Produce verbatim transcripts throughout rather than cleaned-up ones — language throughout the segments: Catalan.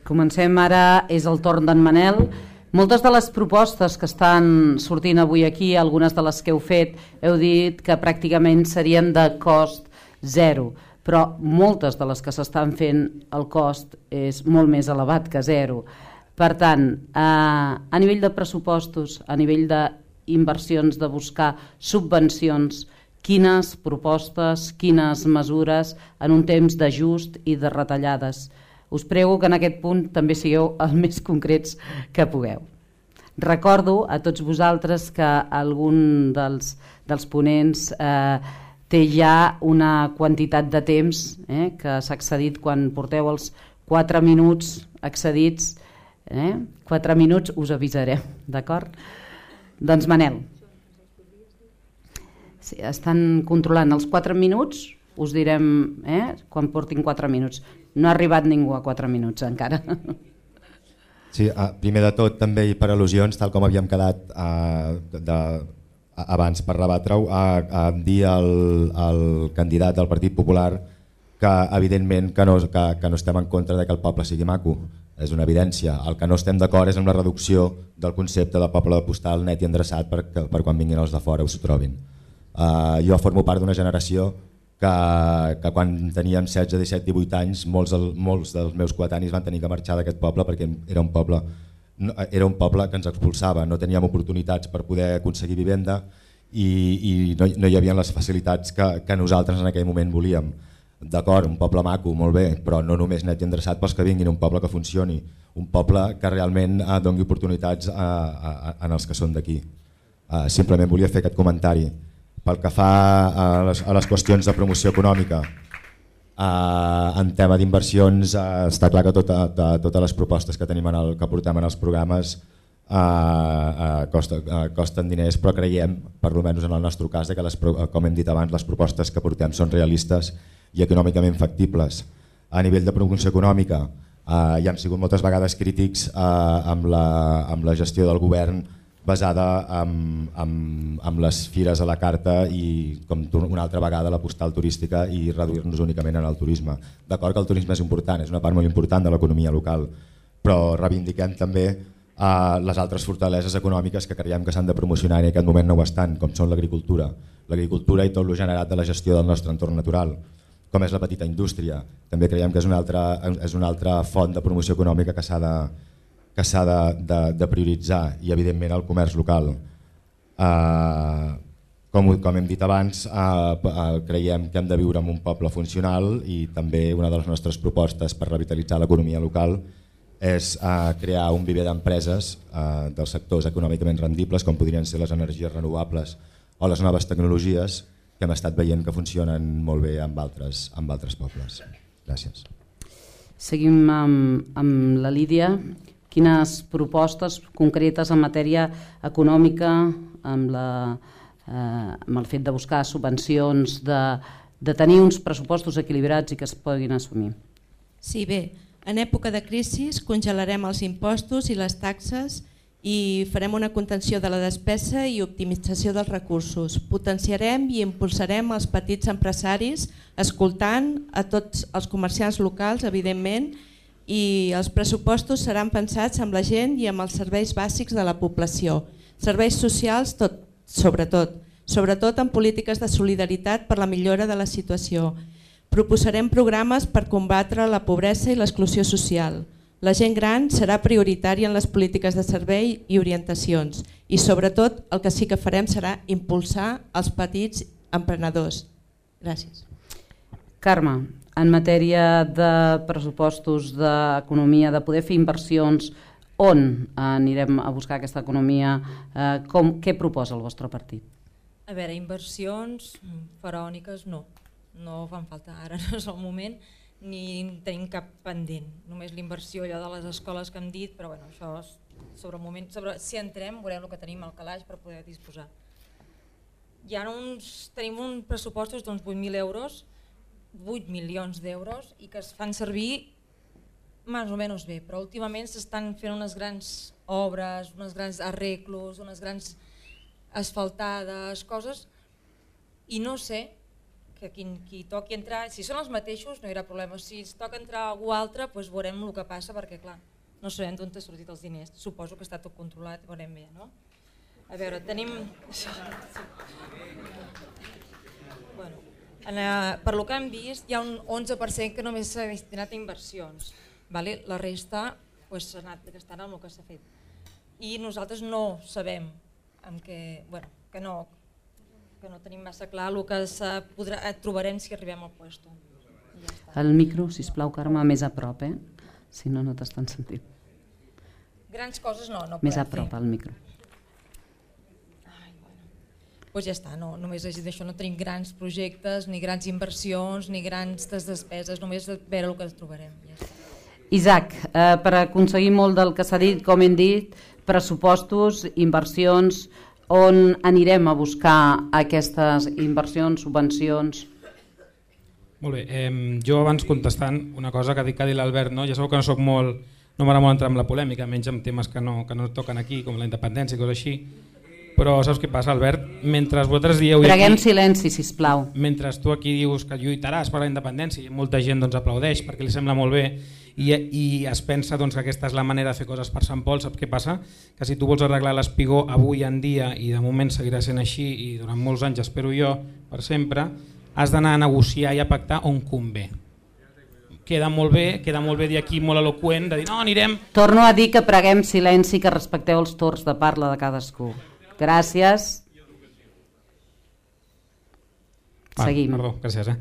Comencem ara, és el torn d'en Manel. Moltes de les propostes que estan sortint avui aquí, algunes de les que heu fet, heu dit que pràcticament serien de cost zero, però moltes de les que s'estan fent el cost és molt més elevat que zero. Per tant, eh, a nivell de pressupostos, a nivell d'inversions, de buscar subvencions, quines propostes, quines mesures en un temps d'ajust i de retallades? Us prego que en aquest punt també sigueu els més concrets que pugueu. Recordo a tots vosaltres que algun dels, dels ponents eh, té ja una quantitat de temps eh, que s'ha excedit quan porteu els quatre minuts excedits. Eh? quatre minuts us avisarem, d'acord? Doncs Manel. Sí, estan controlant els quatre minuts, us direm eh, quan portin quatre minuts. No ha arribat ningú a quatre minuts encara. Sí, primer de tot també i per al·lusions, tal com havíem quedat eh, de, abans per rebatre-ho, a, a dir al, al candidat del Partit Popular que evidentment que no, que, que no estem en contra de que el poble sigui maco, és una evidència. El que no estem d'acord és amb la reducció del concepte de poble postal net i endreçat per, per quan vinguin els de fora o s'ho trobin. Uh, jo formo part d'una generació que, que quan teníem setze, disset, divuit anys molts, el, molts dels meus coetanis van tenir que marxar d'aquest poble perquè era un poble, no, era un poble que ens expulsava, no teníem oportunitats per poder aconseguir vivenda i, i no, no hi havia les facilitats que, que nosaltres en aquell moment volíem. D'acord, un poble maco, molt bé, però no només net i endreçat pels que vinguin, un poble que funcioni, un poble que realment eh, doni oportunitats a, a, a, als que són d'aquí. Uh, simplement volia fer aquest comentari. Pel que fa a les, a les qüestions de promoció econòmica, eh, en tema d'inversions, eh, està clar que tota, de, totes les propostes que tenim en el, que portem en els programes eh, eh, costa, eh, costen diners, però creiem, per almenys en el nostre cas, que les, com hem dit abans, les propostes que portem són realistes i econòmicament factibles. A nivell de promoció econòmica, eh, hi han sigut moltes vegades crítics eh, amb, la, amb la gestió del govern basada en, en, en les fires a la carta i com una altra vegada la postal turística i reduir-nos únicament en el turisme. D'acord que el turisme és important, és una part molt important de l'economia local, però reivindiquem també eh, les altres fortaleses econòmiques que creiem que s'han de promocionar i en aquest moment no ho estan, com són l'agricultura. L'agricultura i tot el generat de la gestió del nostre entorn natural, com és la petita indústria. També creiem que és una altra, és una altra font de promoció econòmica que s'ha de que s'ha de, de, de prioritzar i evidentment el comerç local. Uh, com, com hem dit abans, uh, uh, creiem que hem de viure en un poble funcional i també una de les nostres propostes per revitalitzar l'economia local és uh, crear un viver d'empreses uh, dels sectors econòmicament rendibles com podrien ser les energies renovables o les noves tecnologies que hem estat veient que funcionen molt bé amb altres, amb altres pobles. Gràcies. Seguim amb, amb la Lídia. Quines propostes concretes en matèria econòmica, amb, la, eh, amb el fet de buscar subvencions, de, de tenir uns pressupostos equilibrats i que es puguin assumir? Sí, bé, en època de crisi congelarem els impostos i les taxes i farem una contenció de la despesa i optimització dels recursos. Potenciarem i impulsarem els petits empresaris, escoltant a tots els comerciants locals, evidentment, i els pressupostos seran pensats amb la gent i amb els serveis bàsics de la població. Serveis socials, tot, sobretot, sobretot en polítiques de solidaritat per la millora de la situació. Proposarem programes per combatre la pobresa i l'exclusió social. La gent gran serà prioritària en les polítiques de servei i orientacions i sobretot el que sí que farem serà impulsar els petits emprenedors. Gràcies. Carme, en matèria de pressupostos, d'economia, de poder fer inversions, on anirem a buscar aquesta economia? Eh, com, què proposa el vostre partit? A veure, inversions faraòniques no, no fan falta, ara no és el moment, ni tenim cap pendent, només l'inversió allò de les escoles que hem dit, però bueno, això és sobre el moment, sobre, si entrem veurem el que tenim al calaix per poder disposar. Hi ha uns, tenim uns pressupostos d'uns vuit mil euros, vuit milions d'euros i que es fan servir més o menys bé, però últimament s'estan fent unes grans obres, unes grans arreglos, unes grans asfaltades, coses, i no sé que qui, qui toqui entrar, si són els mateixos no hi haurà problema, si es toca entrar algú altre doncs veurem el que passa perquè clar, no sabem d'on t'ha sortit els diners, suposo que està tot controlat, veurem bé, no? A veure, tenim... Bueno, en, uh, per lo que hem vist hi ha un onze per cent que només s'ha destinat a inversions, vale? La resta pues, s'ha anat gastant amb el que s'ha fet. I nosaltres no sabem amb què, bueno, que, no, que no tenim massa clar el que podrà, trobarem si arribem al puesto. Ja el micro, sisplau, Carme, més a prop, eh? Si no, no t'estan sentint. Grans coses no, no més podem a prop fer. al micro. Ai, bueno. Pues ja està, no, només d'això no tenim grans projectes, ni grans inversions, ni grans despeses, només de veure el que trobarem. Ja està. Isaac, eh, per aconseguir molt del que s'ha dit, com hem dit, pressupostos, inversions, on anirem a buscar aquestes inversions, subvencions? Molt bé, eh, jo abans contestant una cosa que ha dit, que ha dit l'Albert, no? Ja sabeu que no soc molt, no m'agrada molt entrar en la polèmica, menys en temes que no, que no toquen aquí, com la independència i coses així, però saps què passa, Albert? Mentre vosaltres dieu... Preguem aquí, silenci, sisplau. Mentre tu aquí dius que lluitaràs per la independència i molta gent doncs, aplaudeix perquè li sembla molt bé i, i es pensa doncs, que aquesta és la manera de fer coses per Sant Pol, saps què passa? Que si tu vols arreglar l'espigó avui en dia i de moment seguirà sent així i durant molts anys, espero jo, per sempre, has d'anar a negociar i a pactar on convé. Queda molt bé, queda molt bé dir aquí molt eloqüent, de dir no, anirem... Torno a dir que preguem silenci, que respecteu els torns de parla de cadascú. Gràcies. Ah, Seguim. Perdó, gràcies. Eh?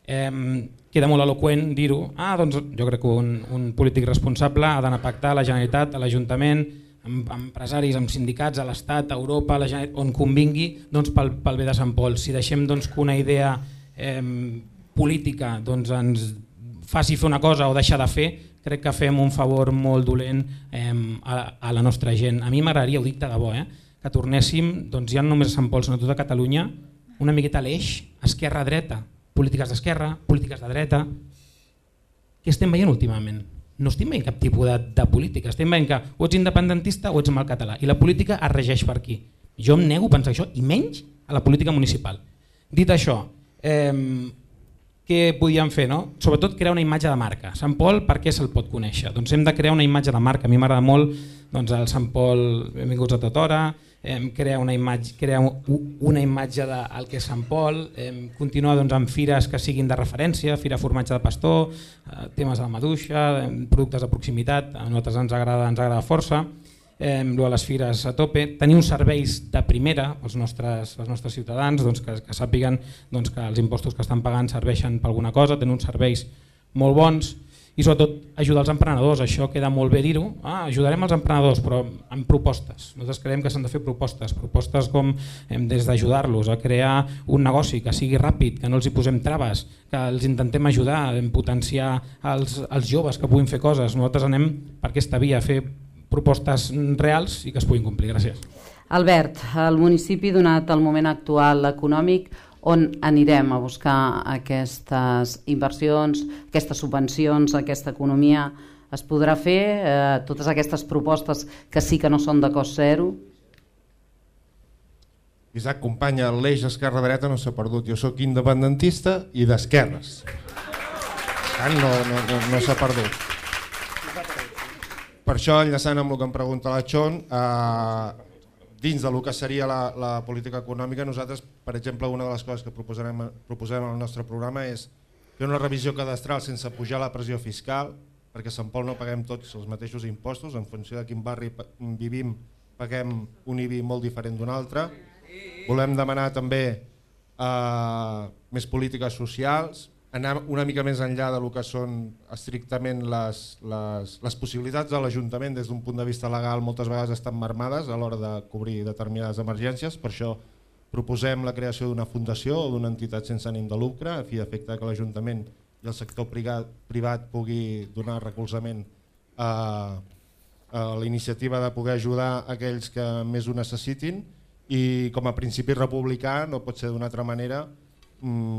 Eh, queda molt eloqüent dir-ho. Ah, doncs jo crec que un, un polític responsable ha d'anar a pactar a la Generalitat, a l'Ajuntament, amb, amb empresaris, amb sindicats, a l'Estat, a Europa, a la Generalitat, on convingui doncs, pel, pel bé de Sant Pol. Si deixem doncs, que una idea eh, política doncs, ens faci fer una cosa o deixar de fer, crec que fem un favor molt dolent eh, a, a la nostra gent. A mi m'agradaria, ho dic de debò, eh, que tornéssim, doncs, ja no només a Sant Pol, sinó a tota Catalunya, una miqueta a l'eix, esquerra-dreta, polítiques d'esquerra, polítiques de dreta. Què estem veient últimament? No estem veient cap tipus de, de política, estem veient que o ets independentista o ets amb el català, i la política es regeix per aquí. Jo em nego a pensar això, i menys a la política municipal. Dit això, eh, què podíem fer? No? Sobretot crear una imatge de marca. Sant Pol, per què se'l pot conèixer? Doncs hem de crear una imatge de marca. A mi m'agrada molt doncs, el Sant Pol, benvinguts a tota hora, eh, crear una imatge, crear una imatge del que és Sant Pol, eh, continuar doncs, amb fires que siguin de referència, fira formatge de pastor, eh, temes de la maduixa, eh, productes de proximitat, a nosaltres ens agrada, ens agrada força. Eh, a les fires a tope, tenir uns serveis de primera als nostres, als nostres ciutadans, doncs, que, que sàpiguen doncs, que els impostos que estan pagant serveixen per alguna cosa, tenir uns serveis molt bons i sobretot ajudar els emprenedors. Això queda molt bé dir-ho, ah, ajudarem els emprenedors però amb propostes. Nosaltres creiem que s'han de fer propostes, propostes com eh, des d'ajudar-los a crear un negoci que sigui ràpid, que no els hi posem traves, que els intentem ajudar, a potenciar els, els joves que puguin fer coses. Nosaltres anem per aquesta via, a fer propostes reals i que es puguin complir. Gràcies. Albert, el municipi, donat el moment actual econòmic, on anirem a buscar aquestes inversions, aquestes subvencions, aquesta economia? Es podrà fer eh, totes aquestes propostes que sí que no són de cost zero? Isaac, companya, l'eix esquerra-dreta no s'ha perdut. Jo sóc independentista i d'esquerres. No, no, no, no s'ha perdut. Per això, enllaçant amb el que em pregunta la Chon, eh, dins del que seria la, la política econòmica, nosaltres, per exemple, una de les coses que proposarem, proposem al nostre programa és fer una revisió cadastral sense pujar la pressió fiscal, perquè a Sant Pol no paguem tots els mateixos impostos, en funció de quin barri vivim paguem un I B I molt diferent d'un altre. Volem demanar també eh, més polítiques socials, anar una mica més enllà del que són estrictament les, les, les possibilitats de l'Ajuntament des d'un punt de vista legal moltes vegades estan marmades a l'hora de cobrir determinades emergències. Per això proposem la creació d'una fundació o d'una entitat sense ànim de lucre a fi d'efecte que l'Ajuntament i el sector privat, privat pugui donar recolzament a, a la iniciativa de poder ajudar aquells que més ho necessitin i com a principi republicà no pot ser d'una altra manera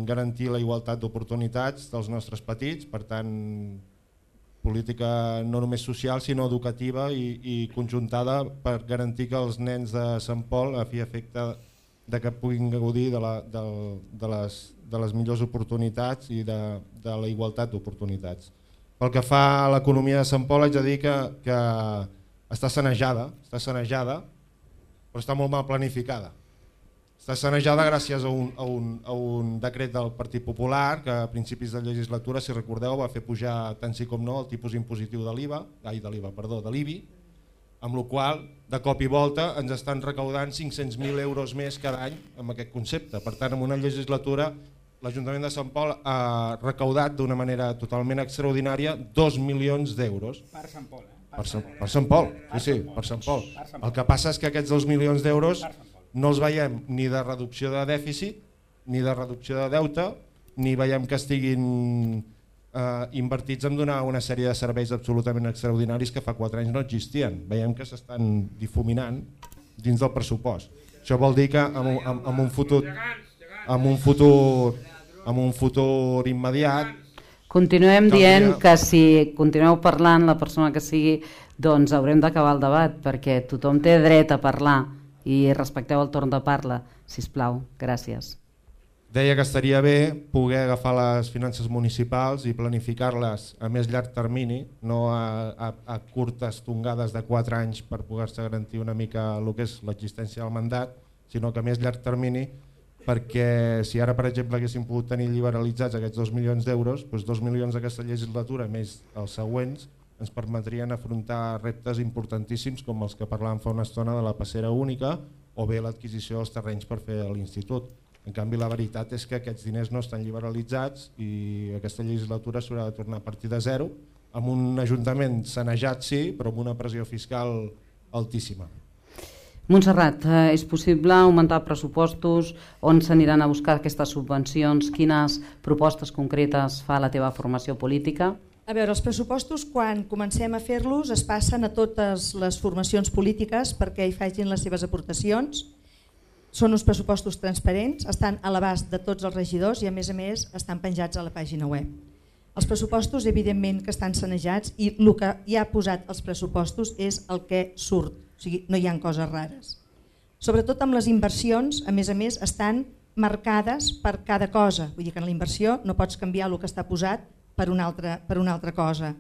garantir la igualtat d'oportunitats dels nostres petits, per tant política no només social sinó educativa i, i conjuntada per garantir que els nens de Sant Pol a fi efecte de que puguin gaudir de, la, de, de, les, de les millors oportunitats i de, de la igualtat d'oportunitats. Pel que fa a l'economia de Sant Pol, haig de dir que, que està sanejada, està sanejada, però està molt mal planificada. Està sanejada gràcies a un, a, un, a un decret del Partit Popular que a principis de legislatura, si recordeu, va fer pujar tant sí com no el tipus impositiu de l'I V A, ai, de l'I V A, perdó, de l'I B I, amb la qual de cop i volta ens estan recaudant cinc-cents mil euros més cada any amb aquest concepte. Per tant, en una legislatura l'Ajuntament de Sant Pol ha recaudat d'una manera totalment extraordinària dos milions d'euros. Per Sant Pol, eh? Per Sant, per Sant Pol, sí, sí, per Sant Pol. El que passa és que aquests dos milions d'euros no els veiem ni de reducció de dèficit, ni de reducció de deute, ni veiem que estiguin eh, invertits en donar una sèrie de serveis absolutament extraordinaris que fa quatre anys no existien. Veiem que s'estan difuminant dins del pressupost. Això vol dir que en, en, en un futur, en un futur, en un futur immediat continuem dient que si continueu parlant la persona que sigui, doncs haurem d'acabar el debat perquè tothom té dret a parlar i respecteu el torn de parla, sisplau. Gràcies. Deia que estaria bé poder agafar les finances municipals i planificar-les a més llarg termini, no a, a, a curtes tongades de quatre anys per poder-se garantir una mica el que és l'existència del mandat, sinó que a més llarg termini, perquè si ara, per exemple, haguéssim pogut tenir liberalitzats aquests dos milions d'euros, doncs dos milions d'aquesta legislatura més els següents ens permetrien afrontar reptes importantíssims com els que parlàvem fa una estona de la passera única o bé l'adquisició dels terrenys per fer l'Institut. En canvi, la veritat és que aquests diners no estan liberalitzats i aquesta legislatura s'haurà de tornar a partir de zero, amb un ajuntament sanejat sí, però amb una pressió fiscal altíssima. Montserrat, eh, és possible augmentar pressupostos? On s'aniran a buscar aquestes subvencions? Quines propostes concretes fa la teva formació política? A veure, els pressupostos, quan comencem a fer-los, es passen a totes les formacions polítiques perquè hi facin les seves aportacions. Són uns pressupostos transparents, estan a l'abast de tots els regidors i a més a més estan penjats a la pàgina web. Els pressupostos evidentment que estan sanejats i el que hi ha posat els pressupostos és el que surt, o sigui, no hi ha coses rares. Sobretot amb les inversions, a més a més, estan marcades per cada cosa, vull dir que en la inversió no pots canviar el que està posat per una altra, per una altra cosa.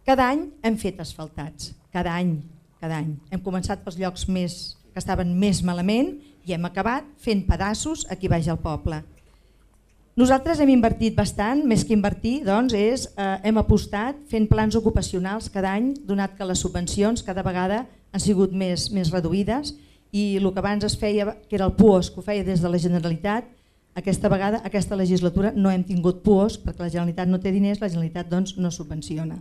Cada any hem fet asfaltats, cada any, cada any. Hem començat pels llocs més, que estaven més malament i hem acabat fent pedaços aquí baix al poble. Nosaltres hem invertit bastant, més que invertir, doncs, és, eh, hem apostat fent plans ocupacionals cada any, donat que les subvencions cada vegada han sigut més, més reduïdes i el que abans es feia, que era el P U O S, que ho feia des de la Generalitat, aquesta vegada, aquesta legislatura, no hem tingut P U O S perquè la Generalitat no té diners, la Generalitat doncs, no subvenciona.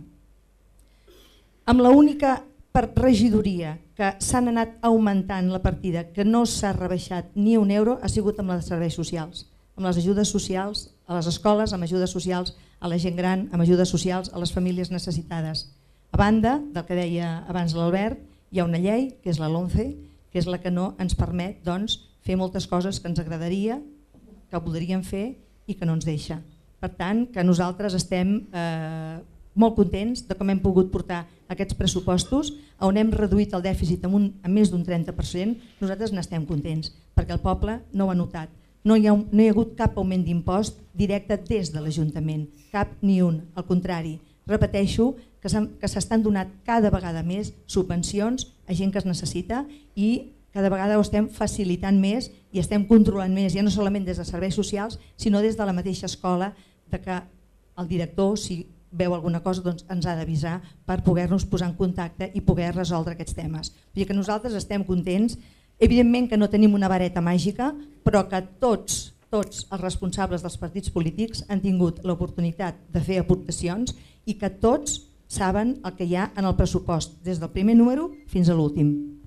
Amb l'única per regidoria que s'han anat augmentant la partida, que no s'ha rebaixat ni un euro, ha sigut amb els serveis socials, amb les ajudes socials a les escoles, amb ajudes socials a la gent gran, amb ajudes socials a les famílies necessitades. A banda del que deia abans l'Albert, hi ha una llei, que és la LOMCE, que és la que no ens permet doncs, fer moltes coses que ens agradaria, que voldríem fer i que no ens deixa. Per tant, que nosaltres estem eh, molt contents de com hem pogut portar aquests pressupostos, on hem reduït el dèficit en, un, en més d'un trenta per cent, nosaltres n'estem contents, perquè el poble no ho ha notat. No hi ha, no hi ha hagut cap augment d'impost directe des de l'Ajuntament, cap ni un, al contrari. Repeteixo que s'estan donant cada vegada més subvencions a gent que es necessita i cada vegada ho estem facilitant més i estem controlant més, ja no solament des de serveis socials, sinó des de la mateixa escola, de que el director, si veu alguna cosa, doncs ens ha d'avisar per poder-nos posar en contacte i poder resoldre aquests temes. Vull dir que nosaltres estem contents, evidentment que no tenim una vareta màgica, però que tots, tots els responsables dels partits polítics han tingut l'oportunitat de fer aportacions i que tots saben el que hi ha en el pressupost, des del primer número fins a l'últim.